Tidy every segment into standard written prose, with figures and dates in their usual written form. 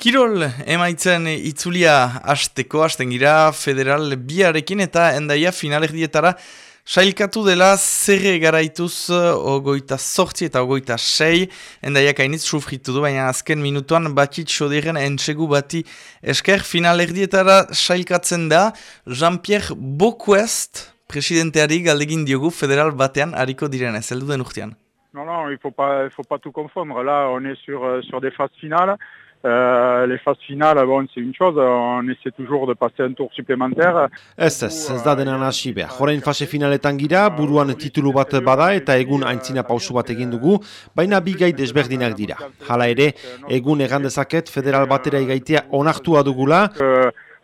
Kirol emaitzen itzulia hasten gira federal biarekin eta endaia finalerdietara sailkatu dela zerre garaituz 28 eta 26 endaiak hainitz sufritu du, baina azken minutuan batit soderen entsegu bati esker finalerdietara sailkatzen da Jean-Pierre Boquest presidenteari galdegin diogu federal batean hariko direnez, heldu den urtean. Non, il faut pas tout confondre. Là, on est sur des phases finales. Les phases finales, bon, c'est une chose, on essaie toujours de passer un tour supplémentaire. Ez da denan hasi behar. Jorain fase finaletan gira, buruan titulu bat bada eta egun aintzina pausu bat egin dugu, baina bi gai desberdinak dira. Hala ere, egun egan dezaket federal batera igaitea onartua dugula.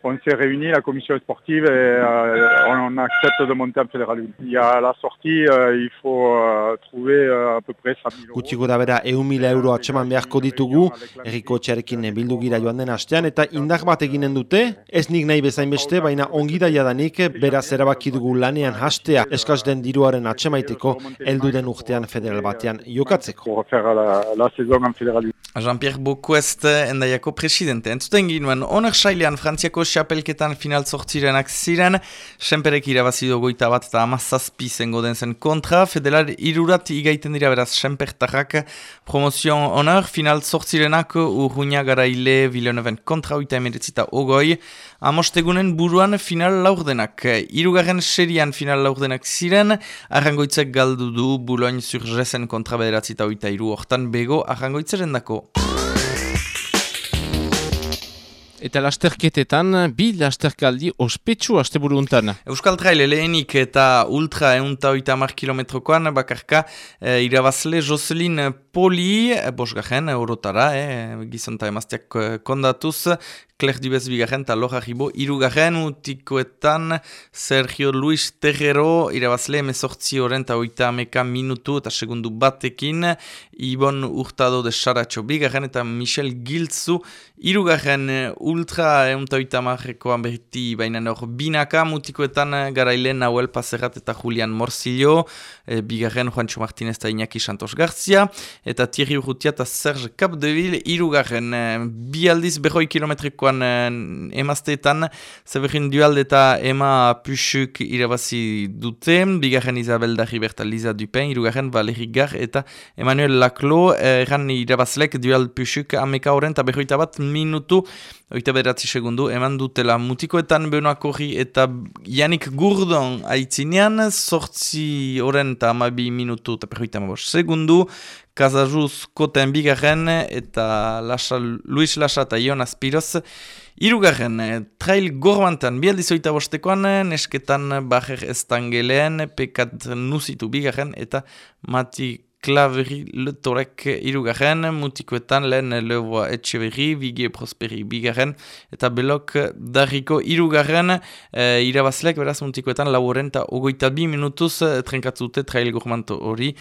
On s'est réunis, la commission sportive, et on accepte de monter en fédéral. Il y a la sortie, il faut trouver à peu près 100 000 euros. Gutxi gora bera 100.000 euro atseman beharko ditugu, herriko txarekin bildu gira joan den hastean, eta indar bat eginen dute, ez nik nahi bezain beste, baina ongi da jadanik, beraz erabaki dugu lanean hastea eskaz den diruaren atsemaiteko, heldu den urtean federal batean jokatzeko. Pour faire la saison en fédéral. Jean-Pierre Boquest endaiako presidente. Entzuten ginuen, oner sailean Frantziako xapelketan final zortzirenak ziren, senperek irabazido 21 eta 17 zengo den zen kontra, federal irurat igaiten dira beraz senpertarrak promozion oner, final zortzirenak urruina garaile Villeneuven kontra 19 amostegunen buruan final laurdenak. Hirugarren serian final laurdenak ziren, Arrangoitzek galdu du Boulogne-sur-Gessen kontra 9 hortan bego Arrangoitzeren dako. Eta lasterketetan, bi lasterkaldi ospetsu asteburu untan. Euskal Trail lehenik eta ultra 180 kilometrokoan bakarka irabazle Jocelyn Poli, bosgarren orotara, gizonta emazteak kondatuz, Claire Dubez bigarren eta Laura Ribo irugarren, utikoetan Sergio Luis Terrero irabazle 18 horren eta 30 minutu eta segundu batekin, Ibon Hurtado de Saratxo bigarren eta Michel Giltzu irugarren ultra 180koan berti baina hor binaka, mutikoetan garaile Nahuel Pazerat eta Julian Morcillo, bigarren Juancho Martínez eta Iñaki Santos Garcia, eta Thierry Urrutia eta Serge Capdeville irugarren, bi aldiz 100 kilometrikoan emazteetan, Severin Dualde eta Emma Puchuk irabazi dute, bigarren Isabel Darribert eta Lisa Dupin, irugarren Valérie Gar eta Emmanuel Laclos, erran irabazlek Dual Puchuk ameka horren eta 101 minutu, 29 segundu, eman dutela mutikoetan Benoît Corri eta Yannick Gourdon aitzinean, 8 horren eta 12 minutu eta 105 segundu, Casajuz Koten bigarren eta Luis Lasa eta Jonas Piroz irugarren. Trail gorbantan bialdiz 25koan, nesketan Bajer Estangeleen, Pekat Nusitu bigarren eta Mati Claveri Letorek irugarren, mutikoetan lehen Levoa Etxeberri, Vigie Prosperi bigarren, eta Belok Darriko irugarren, irabazlek beraz mutikoetan lauren eta 22 minutuz trenkatzute trail gormanto hori,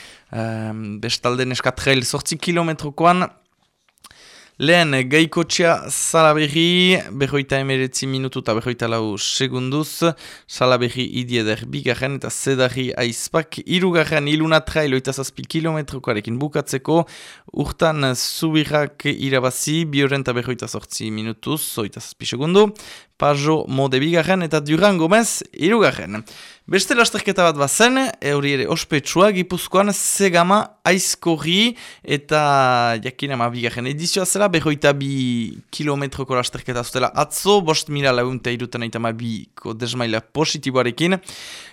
bestalde neska trail 8 kilometrokoan, lehen gaikotxea Salaberri, 49 minutu eta 44 segunduz, Salaberri idieder bigarren eta Zedarri aizpak, irugarren Iluna Trail 27 kilometrokoarekin bukatzeko, urtan Zubirrak irabazi, bioren eta 48 minutuz, 27 segundu, Pajo Mode bigarren eta Duran Gomez irugarren. Beste lasterketa bat bazen, hori ere ospetsua, Gipuzkoan Zegama aizkorri eta jakinama bigarren edizioa zela, 102 kilometroko lasterketa zutela atzo, 5.232 desmaila positiboarekin,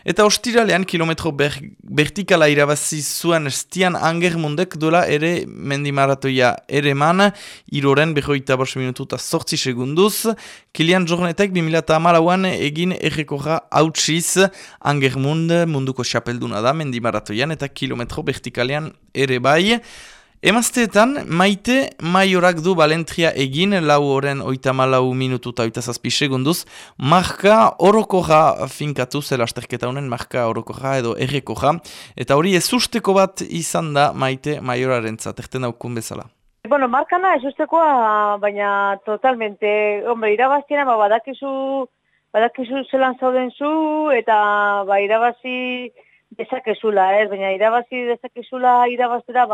eta ostiralean kilometro vertikala irabazi zuen Stian Angermundek dola ere mendimaratoia ere man, iroren 105 minutu eta 8 segunduz, Kilian Jornetek 2008an egin errekorra hautsiz, Angermund munduko xapelduna da mendimaratoian eta kilometro vertikalean ere bai. Emazteetan, Maite Maiorak du Balentria egin, 4 horren 34 minutu eta 27 segunduz, marka orokorra finkatu zela asterketa honen, marka orokorra edo errekorra, eta hori ez usteko bat izan da Maite Maioraren zaterten daukun bezala. Bueno, markana ez ustekoa, baina totalmente, hombre, irabaztiena badakizu zelan zauden zu, eta irabazi dezakezula, baina irabazi dezakezula irabaztera,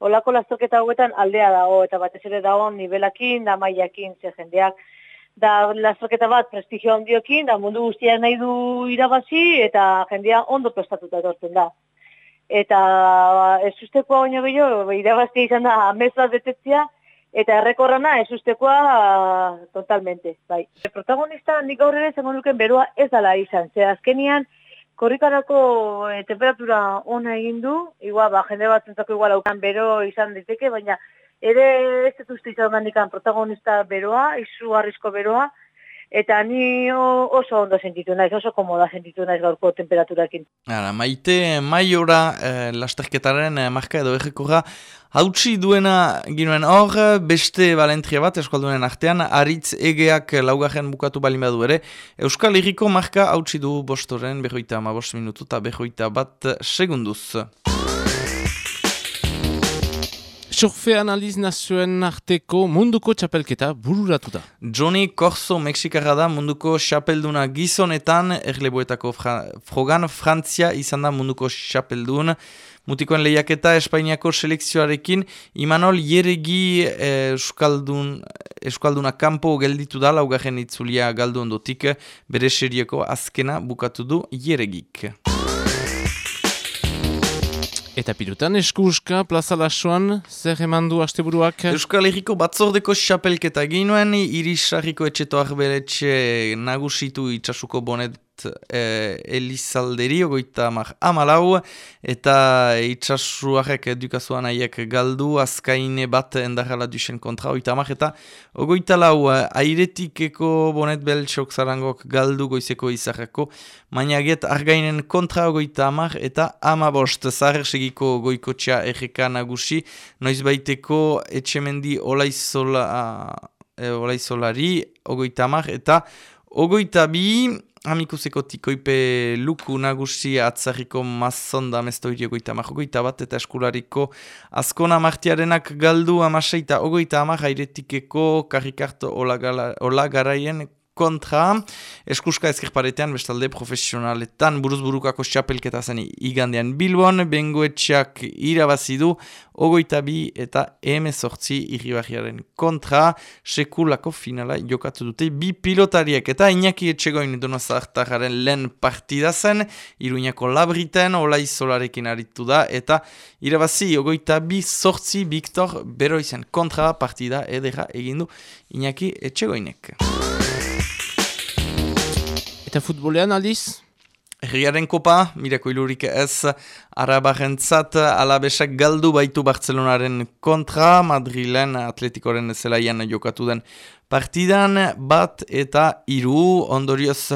olako lasterketa hauetan aldea dago, eta batez ere dago nivelakin, da mailakin, ze jendeak, da lasterketa bat prestigio handiokin, da mundu guztiak nahi du irabazi, eta jendea ondo prestatuta etortzen da. Eta ez ustekoa baino gehiago, irabaztia izan da amez bat betetzea, eta errekorrana ez ustekoa totalmente, bai. Protagonista nik gaur ere zengo nuken beroa ez dala izan, ze azkenian korrikarako temperatura ona egin du, igual, jende batzuentzako igual aukan bero izan diteke, baina ere ez dut uste izan gandikan protagonista beroa, izugarrizko beroa, eta ni oso ondo sentitu naiz, oso komoda sentitu naiz gaurko temperaturakin. Maite Maiora lasterketaren marka edo errekorra hautsi duena ginuen hor, beste balentria bat eskualdunen artean, Aritz Egeak laugarren bukatu balin badu ere, Euskal Herriko marka hautsi du bostoren 55 minutu eta 21 segunduz. Surfe analiz nazioen arteko munduko txapelketa bururatu da. Johnny Corso Mexikarra da munduko txapelduna gizonetan, erleboetako frogan Frantzia izan da munduko txapeldun. Mutikoen lehiaketa Espainiako selekzioarekin Imanol Jeregi Euskalduna kanpo gelditu da laugarren itzulia galdu ondotik, bere serieko azkena bukatu du Jeregik. Eta pirutan eskuska Plaza Lasoan zer eman du asteburuak? Euskal Herriko batzordeko xapelketa ginuen, Irisarriko etxeto arberetxe nagusitu itxasuko bonet Elizalderi, 34, eta itxasuarek edukazuan aiek galdu, azkaine bat endarrala dusen kontra, 34, eta 34, airetikeko bonet beltxok zarangok galdu goizeko izarrako, mainaget argainen kontra 30, eta 15, zaher segiko goikotxea erreka nagusi, noiz baiteko etxemendi olaizolari, 30, eta 22, amikuseko tikoipe luku nagusi atzarriko mazonda mestoiri 30, bat, eta eskulariko azkona martiarenak galdu 16, eta 30, airetikeko karrikarto olagaraien kontra, eskuska ezkerparetean bestalde profesionaletan buruzburukako txapelketa zen igandean Bilbon, bengoetxeak irabazidu 22 eta 18 irribarriaren kontra, sekulako finala jokatu dute bi pilotariek, eta Iñaki Etxegoin Donozartararen lehen partida zen, Iruñako Labriten olaizolarekin aritu da, eta irabazi 22-8 Victor Beroizen kontra partida edera egindu Iñaki Etxegoinek. Eta futbolean aldiz? Herriaren kopa, mirako ilurik ez, arabarentzat alabesak galdu baitu Bartzelonaren kontra, Madrilen Atletikoren zelaian jokatu den partidan, 1 eta 3, ondorioz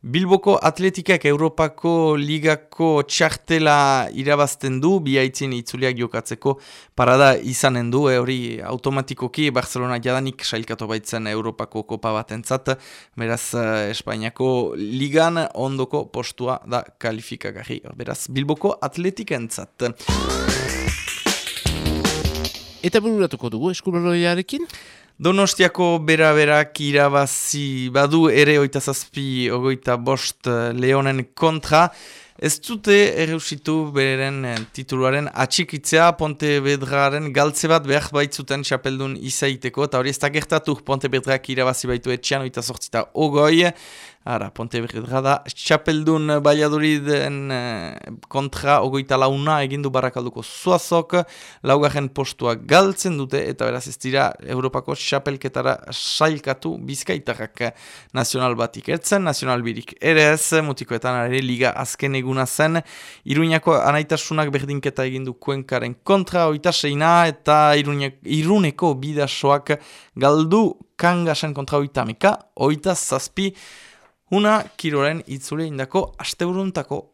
Bilboko Atletikak Europako Ligako txartela irabazten du, biaitzin itzuliak jokatzeko parada izanen du, hori automatikoki Barcelona jadanik sailkatu baitzen Europako kopa batentzat, beraz Espainiako Ligan ondoko postua da kalifikagarri, beraz Bilboko Atletikentzat. Eta bururatuko dugu eskubaloriarekin? Donostiako bera-berak irabazi badu ere 27-25 Leonen kontra. Ez dute erreusitu beren tituluaren atxikitzea, Pontevedraren galtze bat behar baitzuten txapeldun izaiteko, eta hori ez da gertatu Pontevedrak irabazi baitu etxean 28-20. Ara, Pontevedra da txapeldun Valladoliden kontra 24 egindu Barakalduko Zuazok, laugarren postua galtzen dute, eta beraz ez dira Europako txapelketara sailkatu Bizkaitarrak nazional batik ertzen, nazional birik ere ez, mutikoetan ere liga azken eguna zen, Iruñako anaitasunak berdinketa egindu Kuenkaren kontra 26, eta Iruneko bidasoak galdu Kangasen kontra 30, 27, una kiroren itzule indako asteburuntako